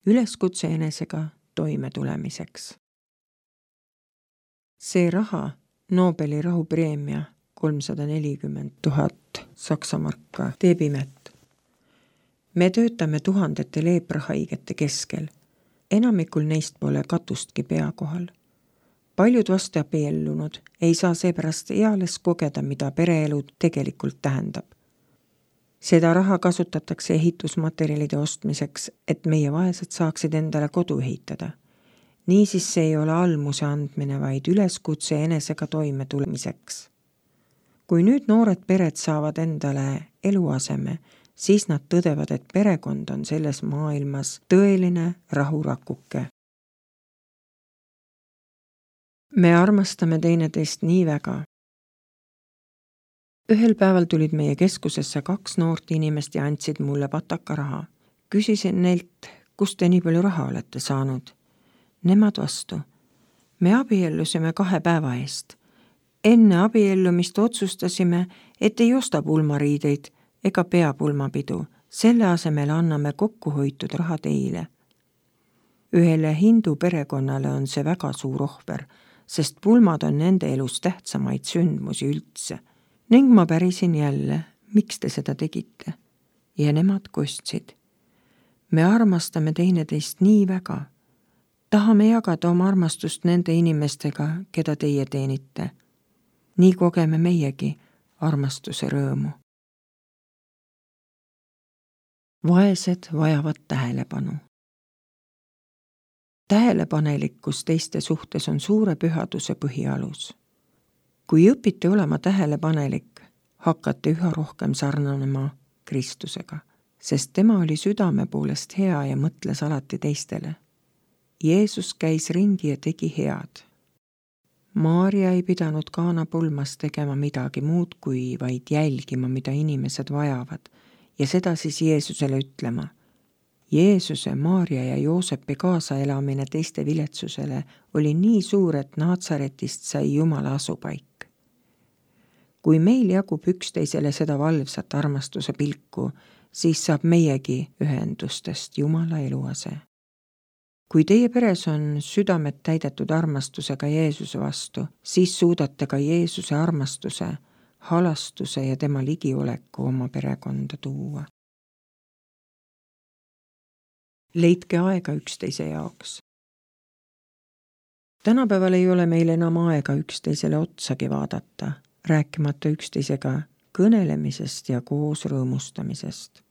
üleskutse enesega toimetulemiseks. See raha, Nobeli rahupreemia 340 000 saksamarka, teeb imet. Me töötame tuhandete leeprahaigete keskel. Enamikul neist pole katustki pea kohal. Paljud vastuabiellunud ei saa seepärast eales kogeda, mida pereelu tegelikult tähendab. Seda raha kasutatakse ehitusmaterjalide ostmiseks, et meie vaesed saaksid endale kodu ehitada. Niisiis see ei ole almuse andmine, vaid üleskutse enesega toimetulemiseks. Kui nüüd noored pered saavad endale eluaseme, siis nad tõdevad, et perekond on selles maailmas tõeline rahurakuke. Me armastame teineteist nii väga. Ühel päeval tulid meie keskusesse 2 noort inimest ja andsid mulle pataka raha. Küsisin neilt, kust te nii palju raha olete saanud. Nemad vastu. Me abiellusime 2 päeva eest. Enne abiellumist otsustasime, et ei osta pulmariideid ega pea pulmapidu. Selle asemel anname kokkuhoitud raha teile. Ühele hindu perekonnale on see väga suur ohver, sest pulmad on nende elus tähtsamaid sündmusi üldse. Ning ma pärisin jälle, miks te seda tegite. Ja nemad kostsid. Me armastame teineteist nii väga. Tahame jagada oma armastust nende inimestega, keda teie teenite. Nii kogeme meiegi armastuse rõõmu. Vaesed vajavad tähelepanu. Tähelepanelikkus teiste suhtes on suure pühaduse põhialus. Kui õpite olema tähelepanelik, hakkate üha rohkem sarnanema Kristusega, sest tema oli südame poolest hea ja mõtles alati teistele. Jeesus käis ringi ja tegi head. Maarja ei pidanud Kaana pulmas tegema midagi muud kui vaid jälgima, mida inimesed vajavad, ja seda siis Jeesusele ütlema. Jeesuse, Maarja ja Joosepi kaasaelamine teiste viletsusele oli nii suur, et Naatsaretist sai Jumala asupaik. Kui meil jagub üksteisele seda valvsat armastuse pilku, siis saab meiegi ühendustest Jumala eluase. Kui teie peres on südamed täidetud armastusega Jeesuse vastu, siis suudate ka Jeesuse armastuse, halastuse ja tema ligioleku oma perekonda tuua. Leidke aega üksteise jaoks. Tänapäeval ei ole meil enam aega üksteisele otsagi vaadata, rääkimata üksteisega kõnelemisest ja koos rõõmustamisest.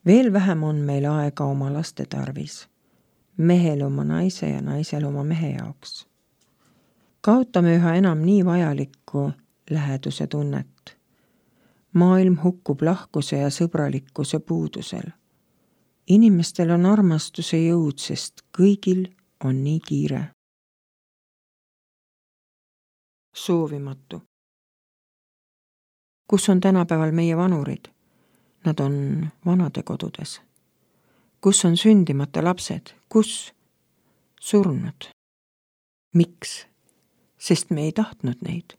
Veel vähem on meil aega oma laste tarvis. Mehel oma naise ja naisel oma mehe jaoks. Kaotame üha enam nii vajalikku läheduse tunnet. Maailm hukkub lahkuse ja sõbralikkuse puudusel. Inimestel on armastuse jõud, sest kõigil on nii kiire. Soovimatu. Kus on tänapäeval meie vanurid? Nad on vanadekodudes. Kus on sündimata lapsed? Kus? Surnud. Miks? Sest me ei tahtnud neid.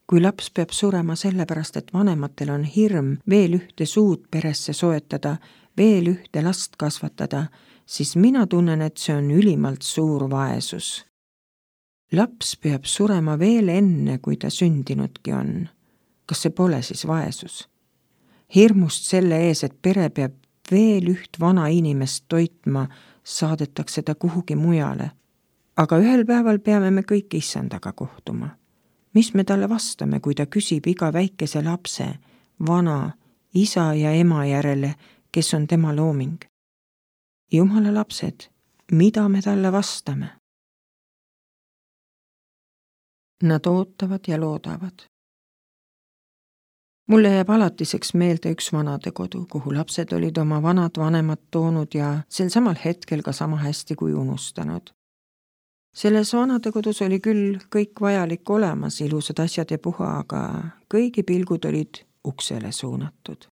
Kui laps peab surema sellepärast, et vanematel on hirm veel ühte suud peresse soetada, veel ühte last kasvatada, siis mina tunnen, et see on ülimalt suur vaesus. Laps peab surema veel enne, kui ta sündinudki on. Kas see pole siis vaesus? Hirmust selle ees, et pere peab veel üht vana inimest toitma, saadetakse ta kuhugi mujale. Aga ühel päeval peame me kõik issandaga kohtuma. Mis me talle vastame, kui ta küsib iga väikese lapse, vana, isa ja ema järele, kes on tema looming? Jumala lapsed, mida me talle vastame? Nad ootavad ja loodavad. Mulle jääb alatiseks meelde üks vanadekodu, kuhu lapsed olid oma vanad vanemad toonud ja sel samal hetkel ka sama hästi kui unustanud. Selles vanadekodus oli küll kõik vajalik olemas, ilusad asjad ja puha, aga kõigi pilgud olid uksele suunatud.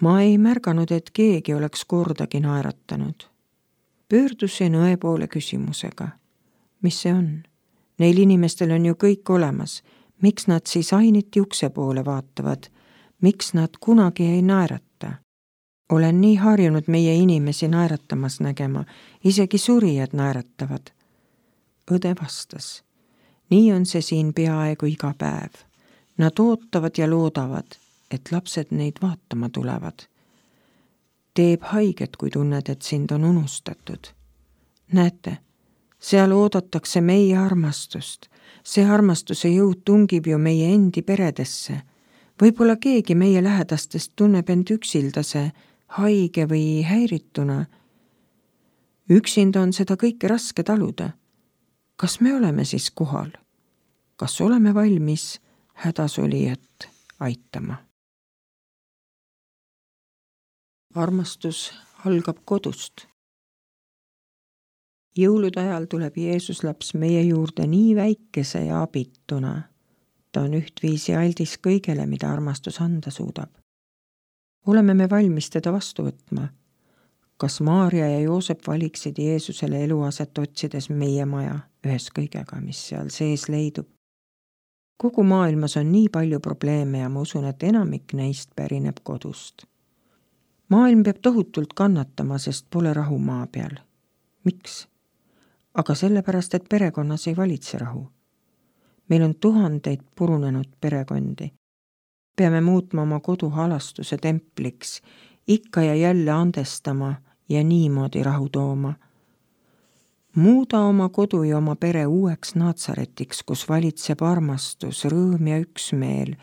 Ma ei märganud, et keegi oleks kordagi naeratanud. Pöördusin õe poole küsimusega. Mis see on? Neil inimestel on ju kõik olemas. Miks nad siis ainiti ukse poole vaatavad? Miks nad kunagi ei naerata? Olen nii harjunud meie inimesi naeratamas nägema, isegi surijad naeratavad. Õde vastas, nii on see siin peaaegu iga päev. Nad ootavad ja loodavad, et lapsed neid vaatama tulevad. Teeb haiget, kui tunned, et sind on unustatud. Näete, seal oodatakse meie armastust. See armastuse jõud tungib ju meie endi peredesse. Võib-olla keegi meie lähedastest tunneb end üksildase, haige või häirituna. Üksinda on seda kõike raske taluda. Kas me oleme siis kohal? Kas oleme valmis hädasolijat aitama? Armastus algab kodust. Jõulude ajal tuleb Jeesus laps meie juurde nii väikese ja abituna. Ta on ühtviisi aldis kõigele, mida armastus anda suudab. Oleme me valmis teda vastu võtma? Kas Maarja ja Joosep valiksid Jeesusele eluaset otsides meie maja ühes kõigega, mis seal sees leidub? Kogu maailmas on nii palju probleeme ja ma usun, et enamik neist pärineb kodust. Maailm peab tohutult kannatama, sest pole rahu maa peal. Miks? Aga sellepärast, et perekonnas ei valitse rahu. Meil on tuhandeid purunenud perekondi. Peame muutma oma kodu halastuse templiks, ikka ja jälle andestama ja niimoodi rahu tooma. Muuda oma kodu ja oma pere uueks Natsaretiks, kus valitseb armastus, rõõm ja üksmeel,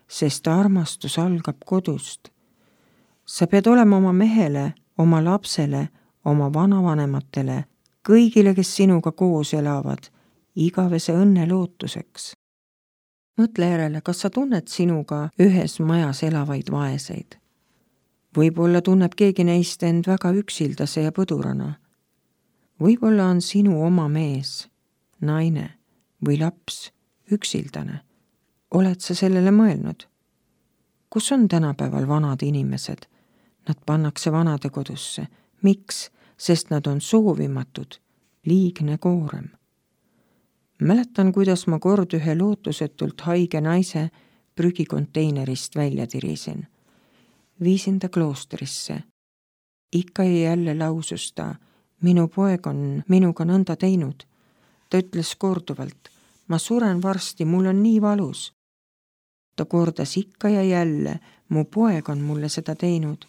sest armastus algab kodust. Sa pead olema oma mehele, oma lapsele, oma vanavanematele, kõigile, kes sinuga koos elavad, igavese õnne lootuseks. Mõtle järele, kas sa tunned sinuga ühes majas elavaid vaeseid? Võib-olla tunneb keegi neist end väga üksildase ja põdurana. Võib-olla on sinu oma mees, naine või laps üksildane. Oled sa sellele mõelnud? Kus on tänapäeval vanad inimesed? Nad pannakse vanadekodusse. Miks? Sest nad on soovimatud, liigne koorem. Mäletan, kuidas ma kord ühe lootusetult haige naise prügikonteinerist välja tirisin. Viisin ta kloostrisse. Ikka ja jälle lausus ta, minu poeg on minuga nõnda teinud. Ta ütles korduvalt, ma suren varsti, mul on nii valus. Ta kordas ikka ja jälle, mu poeg on mulle seda teinud.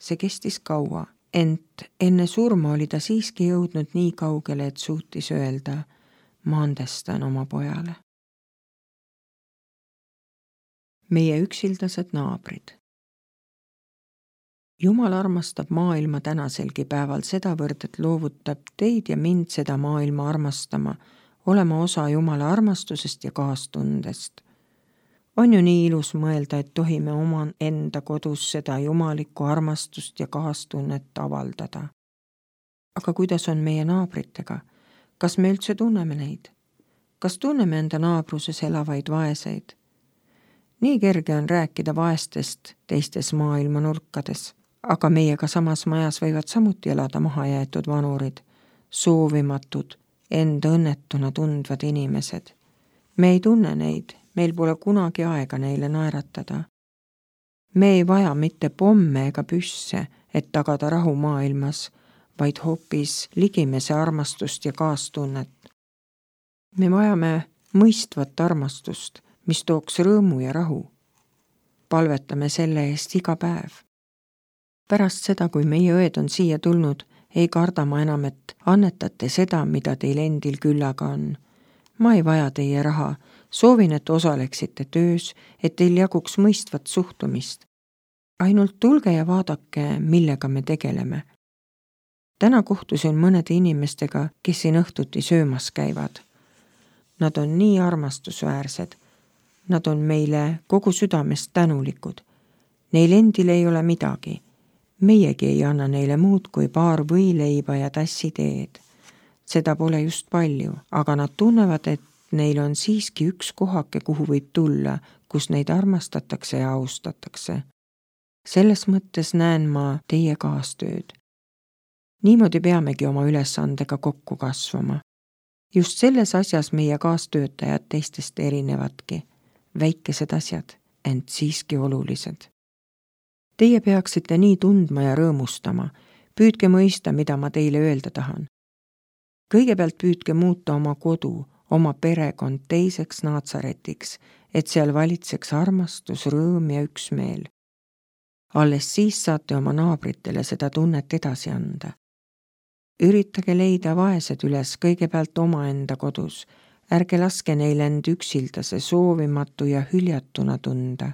See kestis kaua, ent enne surma oli ta siiski jõudnud nii kaugele, et suutis öelda, ma andestan oma pojale. Meie üksildased naabrid. Jumal armastab maailma tänaselgi päeval sedavõrd, et loovutab teid ja mind seda maailma armastama, olema osa Jumala armastusest ja kaastundest. On ju nii ilus mõelda, et tohime oma enda kodus seda jumalikku armastust ja kaastunnet avaldada. Aga kuidas on meie naabritega? Kas me üldse tunneme neid? Kas tunneme enda naabruses elavaid vaeseid? Nii kerge on rääkida vaestest teistes maailma nurkades, aga meiega samas majas võivad samuti elada mahajäetud vanurid, soovimatud, enda õnnetuna tundvad inimesed. Me ei tunne neid, meil pole kunagi aega neile naeratada. Me ei vaja mitte pomme ega püsse, et tagada rahu maailmas, vaid hoopis ligimese armastust ja kaastunnet. Me vajame mõistvat armastust, mis tooks rõõmu ja rahu. Palvetame selle eest iga päev. Pärast seda, kui meie õed on siia tulnud, ei karda ma enam, et annetate seda, mida teil endil küllaga on. Ma ei vaja teie raha, soovin, et osaleksite töös, et teil jaguks mõistvat suhtumist. Ainult tulge ja vaadake, millega me tegeleme. Täna kohtusin mõnede inimestega, kes siin õhtuti söömas käivad. Nad on nii armastusväärsed. Nad on meile kogu südamest tänulikud. Neil endil ei ole midagi. Meiegi ei anna neile muud kui paar võileiba ja tassi teed. Seda pole just palju, aga nad tunnevad, et neil on siiski üks kohake, kuhu võib tulla, kus neid armastatakse ja austatakse. Selles mõttes näen ma teie kaastööd. Niimoodi peamegi oma ülesandega kokku kasvama. Just selles asjas meie kaastöötajad teistest erinevadki. Väikesed asjad, ent siiski olulised. Teie peaksite nii tundma ja rõõmustama. Püüdke mõista, mida ma teile öelda tahan. Kõigepealt püüdke muuta oma kodu, oma perekond teiseks Naatsaretiks, et seal valitseks armastus, rõõm ja üksmeel. Alles siis saate oma naabritele seda tunnet edasi anda. Üritage leida vaesed üles kõigepealt omaenda kodus. Ärge laske neil end üksildase, soovimatu ja hüljatuna tunda.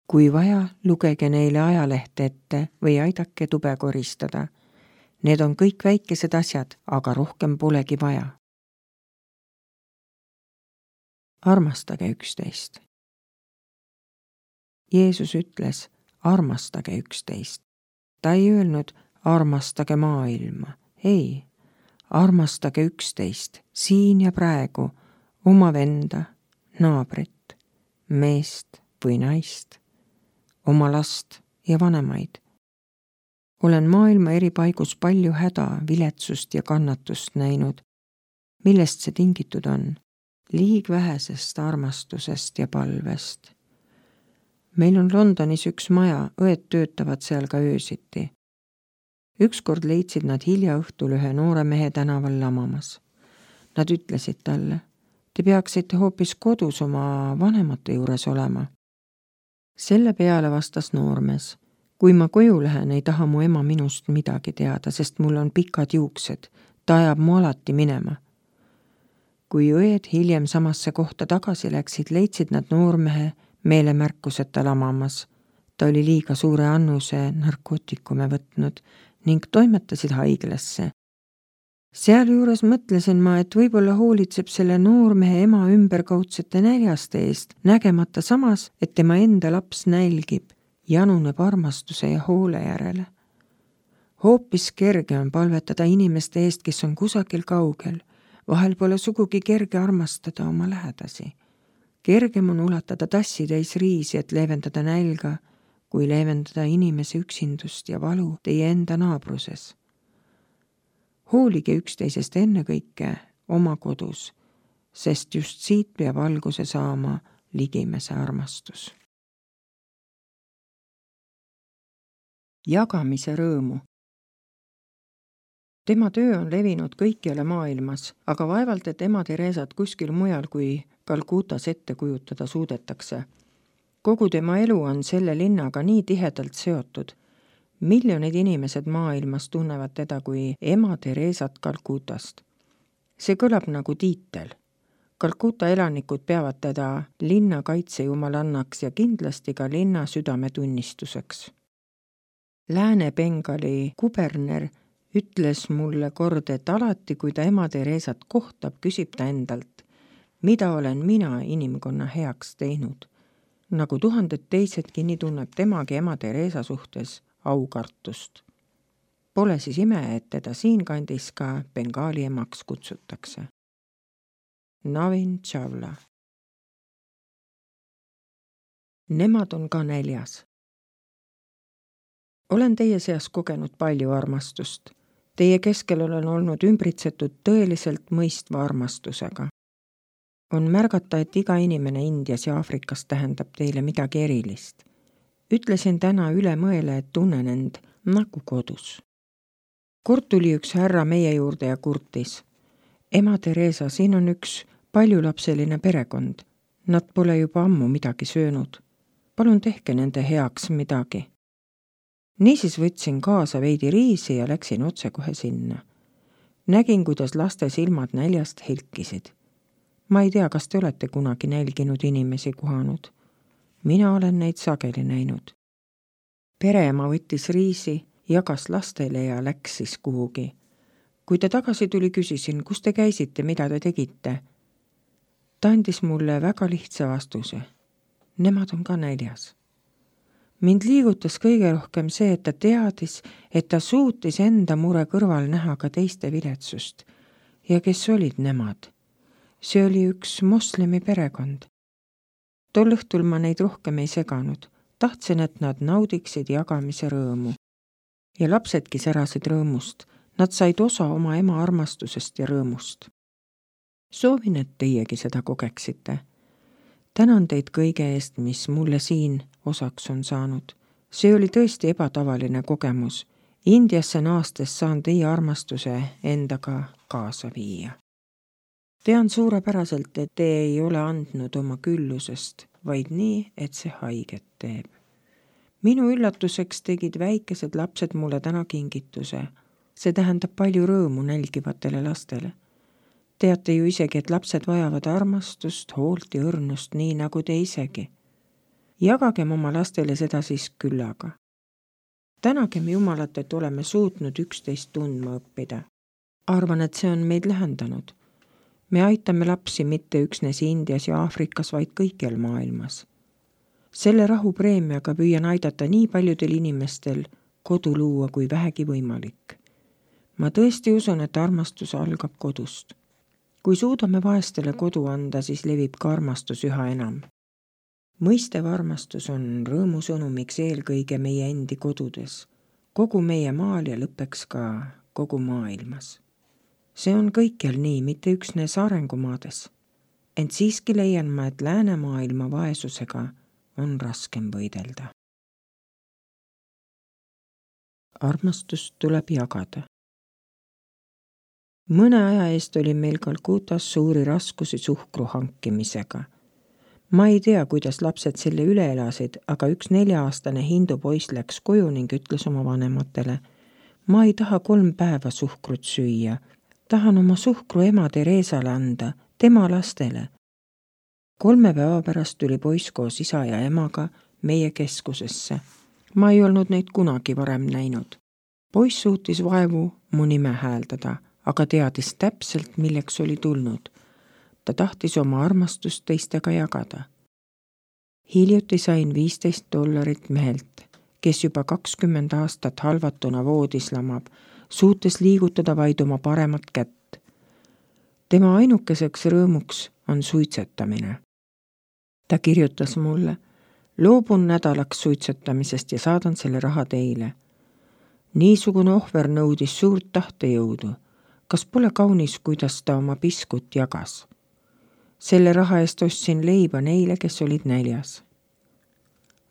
Kui vaja, lugege neile ajalehte ette või aidake tube koristada. Need on kõik väikesed asjad, aga rohkem polegi vaja. Armastage üksteist. Jeesus ütles, armastage üksteist. Ta ei öelnud, armastage maailma. Ei, armastage üksteist, siin ja praegu, oma venda, naabrit, meest või naist, oma last ja vanemaid. Olen maailma eri paigus palju häda, viletsust ja kannatust näinud. Millest see tingitud on? Liig vähesest armastusest ja palvest. Meil on Londonis üks maja, õed töötavad seal ka öösiti. Ükskord leidsid nad hilja õhtul ühe noore mehe tänaval lamamas. Nad ütlesid talle, te peaksite hoopis kodus oma vanemate juures olema. Selle peale vastas noormees, kui ma koju lähen, ei taha mu ema minust midagi teada, sest mul on pikad juuksed, ta ajab mu alati minema. Kui õed hiljem samasse kohta tagasi läksid, leidsid nad noormehe meelemärkuseta lamamas. Ta oli liiga suure annuse narkootikume võtnud ning toimetasid haiglasse. Sealjuures mõtlesin ma, et võib-olla hoolitseb selle noormehe ema ümberkaudsete näljaste eest, nägemata samas, et tema enda laps nälgib, januneb armastuse ja hoole järele. Hoopis kerge on palvetada inimeste eest, kes on kusagil kaugel. Vahel pole sugugi kerge armastada oma lähedasi. Kergem on ulatada tassitäis riisi, et leevendada nälga, kui leevendada inimese üksindust ja valu teie enda naabruses. Hoolige üksteisest ennekõike oma kodus, sest just siit peab alguse saama ligimese armastus. Jagamise rõõmu. Tema töö on levinud kõikjale maailmas, aga vaevalt, et ema Teresat kuskil mujal kui Calcutas ette kujutada suudetakse. Kogu tema elu on selle linnaga nii tihedalt seotud. Miljonid inimesed maailmas tunnevad teda kui ema Teresat Calcutast. See kõlab nagu tiitel. Calcuta elanikud peavad teda linna kaitsejumalannaks ja kindlasti ka linna südametunnistuseks. Lääne-Bengali kuberner ütles mulle kord, et alati, kui ta ema Teresat kohtab, küsib ta endalt, mida olen mina inimkonna heaks teinud. Nagu tuhanded teisedki, nii tunneb temagi ema Teresa suhtes aukartust. Pole siis ime, et teda siinkandis ka Bengali emaks kutsutakse. Navin Chawla. Nemad on ka näljas. Olen teie seas kogenud palju armastust. Teie keskel olen olnud ümbritsetud tõeliselt mõistva armastusega. On märgata, et iga inimene Indias ja Aafrikas tähendab teile midagi erilist. Ütlesin täna üle mõele, et tunnen end nagu kodus. Kord tuli üks härra meie juurde ja kurtis. Ema Teresa, siin on üks paljulapseline perekond. Nad pole juba ammu midagi söönud. Palun tehke nende heaks midagi. Niisiis võtsin kaasa veidi riisi ja läksin otsekohe sinna. Nägin, kuidas laste silmad näljast helkisid. Ma ei tea, kas te olete kunagi nälginud inimesi kohanud. Mina olen neid sageli näinud. Pereema võttis riisi, jagas lastele ja läks siis kuhugi. Kui ta tagasi tuli, küsisin, kus te käisite, mida te tegite. Ta andis mulle väga lihtsa vastuse. Nemad on ka näljas. Mind liigutas kõige rohkem see, et ta teadis, et ta suutis enda mure kõrval näha ka teiste viletsust. Ja kes olid nemad? See oli üks moslemi perekond. Tol õhtul ma neid rohkem ei seganud. Tahtsin, et nad naudiksid jagamise rõõmu. Ja lapsedki särasid rõõmust. Nad said osa oma ema armastusest ja rõõmust. Soovin, et teiegi seda kogeksite. Tänan teid kõige eest, mis mulle siin osaks on saanud. See oli tõesti ebatavaline kogemus. Indiasse naastes saan teie armastuse endaga kaasa viia. Tean suurepäraselt, et te ei ole andnud oma küllusest, vaid nii, et see haiget teeb. Minu üllatuseks tegid väikesed lapsed mulle täna kingituse. See tähendab palju rõõmu nälgivatele lastele. Teate ju isegi, et lapsed vajavad armastust, hoolt ja õrnust, nii nagu te isegi. Jagagem oma lastele seda siis küllaga. Tänagem Jumalat, et oleme suutnud üksteist tundma õppida. Arvan, et see on meid lähendanud. Me aitame lapsi mitte üksnes Indias ja Aafrikas, vaid kõikjal maailmas. Selle rahupreemiaga püüan aidata nii paljudel inimestel kodu luua kui vähegi võimalik. Ma tõesti usun, et armastus algab kodust. Kui suudame vaestele kodu anda, siis levib ka armastus üha enam. Mõistev armastus on rõõmusõnumiks eelkõige meie endi kodudes, kogu meie maal ja lõppeks ka kogu maailmas. See on kõikjal nii, mitte üksnes arengumaades. Ent siiski leian ma, et läänemaailma vaesusega on raskem võidelda. Armastust tuleb jagada. Mõne aja eest oli meil Kalkutas suuri raskusi suhkru hankimisega. Ma ei tea, kuidas lapsed selle üle elasid, aga üks 4-aastane hindu poiss läks koju ning ütles oma vanematele: ma ei taha 3 päeva suhkrut süüa. Tahan oma suhkru ema Teresale anda, tema lastele. 3 päeva pärast tuli poiss koos isa ja emaga meie keskusesse. Ma ei olnud neid kunagi varem näinud. Poiss suutis vaevu mu nime hääldada, aga teadis täpselt, milleks oli tulnud. Ta tahtis oma armastust teistega jagada. Hiljuti sain $15 mehelt, kes juba 20 aastat halvatuna voodis lamab, suutes liigutada vaid oma paremat kätt. Tema ainukeseks rõõmuks on suitsetamine. Ta kirjutas mulle: loobun nädalaks suitsetamisest ja saadan selle raha teile. Niisugune ohver nõudis suurt tahtejõudu. Kas pole kaunis, kuidas ta oma piskut jagas? Selle raha eest ostsin leiba neile, kes olid näljas.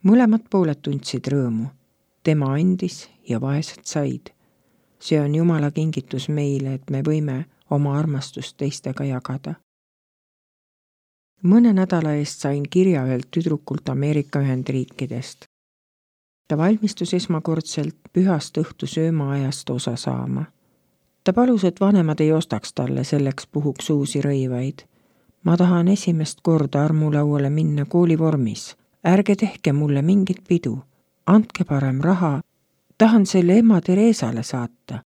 Mõlemad pooled tundsid rõõmu. Tema andis ja vaesed said. See on Jumala kingitus meile, et me võime oma armastust teistega jagada. Mõne nädala eest sain kirja ühelt tüdrukult Ameerika Ühendriikidest. Ta valmistus esmakordselt pühast õhtu söömaajast osa saama. Ta palus, et vanemad ei ostaks talle selleks puhuks uusi rõivaid. Ma tahan esimest korda armulauale minna koolivormis. Ärge tehke mulle mingit pidu. Andke parem raha. Tahan selle ema Teresale saata.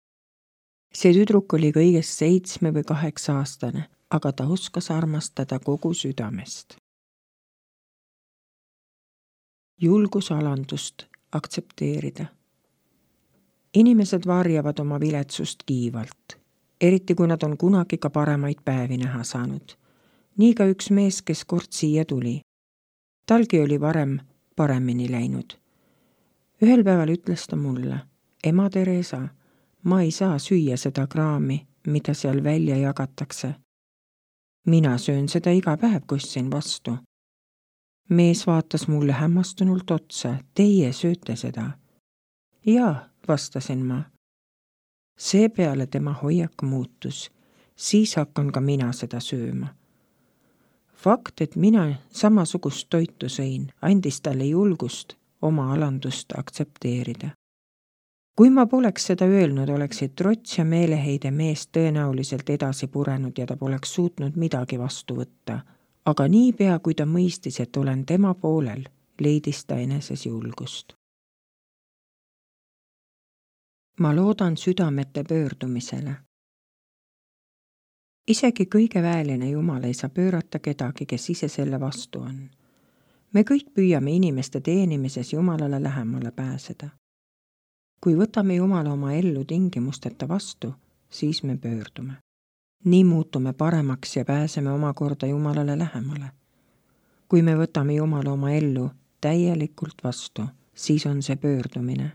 See tüdruk oli kõigest 7 või 8 aastane, aga ta oskas armastada kogu südamest. Julgus alandust aktsepteerida. Inimesed varjavad oma viletsust kiivalt, eriti kui nad on kunagi ka paremaid päevi näha saanud. Nii ka üks mees, kes kord siia tuli. Talgi oli varem paremini läinud. Ühel päeval ütles ta mulle: ema Teresa, ma ei saa süüa seda kraami, mida seal välja jagatakse. Mina söön seda iga päev, kostsin vastu. Mees vaatas mulle hämmastunult otsa: teie sööte seda? Jaa, vastasin ma. Seepeale tema hoiak muutus, siis hakkan ka mina seda sööma. Fakt, et mina samasugust toitu sõin, andis talle julgust oma alandust aktsepteerida. Kui ma poleks seda öelnud, oleksid trots ja meeleheide meest tõenäoliselt edasi purenud ja ta poleks suutnud midagi vastu võtta. Aga niipea, kui ta mõistis, et olen tema poolel, leidis ta eneses julgust. Ma loodan südamete pöördumisele. Isegi kõige väeline Jumal ei saa pöörata kedagi, kes ise selle vastu on. Me kõik püüame inimeste teenimises Jumalale lähemale pääseda. Kui võtame Jumala oma ellu tingimusteta vastu, siis me pöördume. Nii muutume paremaks ja pääseme omakorda Jumalale lähemale. Kui me võtame Jumala oma ellu täielikult vastu, siis on see pöördumine.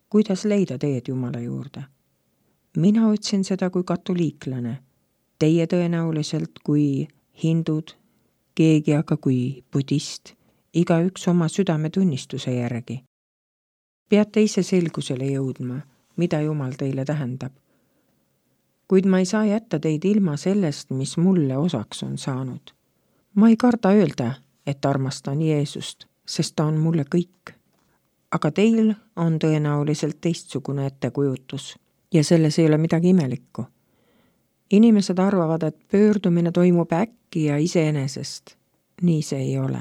Kuidas leida teed Jumala juurde? Mina otsin seda kui katoliiklane, teie tõenäoliselt kui hindud, keegi aga kui budist igaüks oma südametunnistuse järgi. Peate ise selgusele jõudma, mida Jumal teile tähendab. Kuid ma ei saa jätta teid ilma sellest, mis mulle osaks on saanud. Ma ei karda öelda, et armastan Jeesust, sest ta on mulle kõik. Aga teil on tõenäoliselt teistsugune ettekujutus ja selles ei ole midagi imelikku. Inimesed arvavad, et pöördumine toimub äkki ja iseenesest. Nii see ei ole.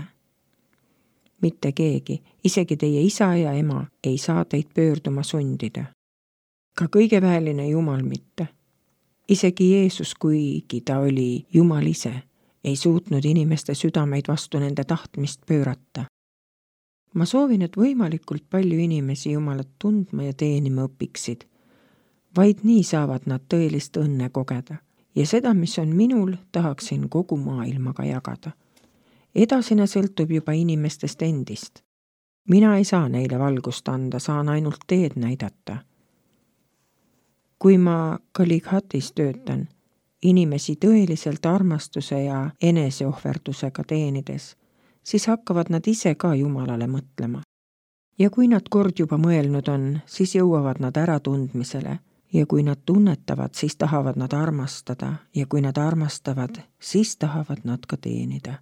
Mitte keegi, isegi teie isa ja ema ei saa teid pöörduma sundida. Ka kõigeväeline Jumal mitte. Isegi Jeesus, kuigi ta oli Jumal ise, ei suutnud inimeste südameid vastu nende tahtmist pöörata. Ma soovin, et võimalikult palju inimesi Jumalat tundma ja teenima õpiksid. Vaid nii saavad nad tõelist õnne kogeda ja seda, mis on minul, tahaksin kogu maailmaga jagada. Edasine sõltub juba inimestest endist. Mina ei saa neile valgust anda, saan ainult teed näidata. Kui ma Kalighatis töötan, inimesi tõeliselt armastuse ja eneseohverdusega teenides, siis hakkavad nad ise ka Jumalale mõtlema. Ja kui nad kord juba mõelnud on, siis jõuavad nad äratundmisele ja kui nad tunnetavad, siis tahavad nad armastada ja kui nad armastavad, siis tahavad nad ka teenida.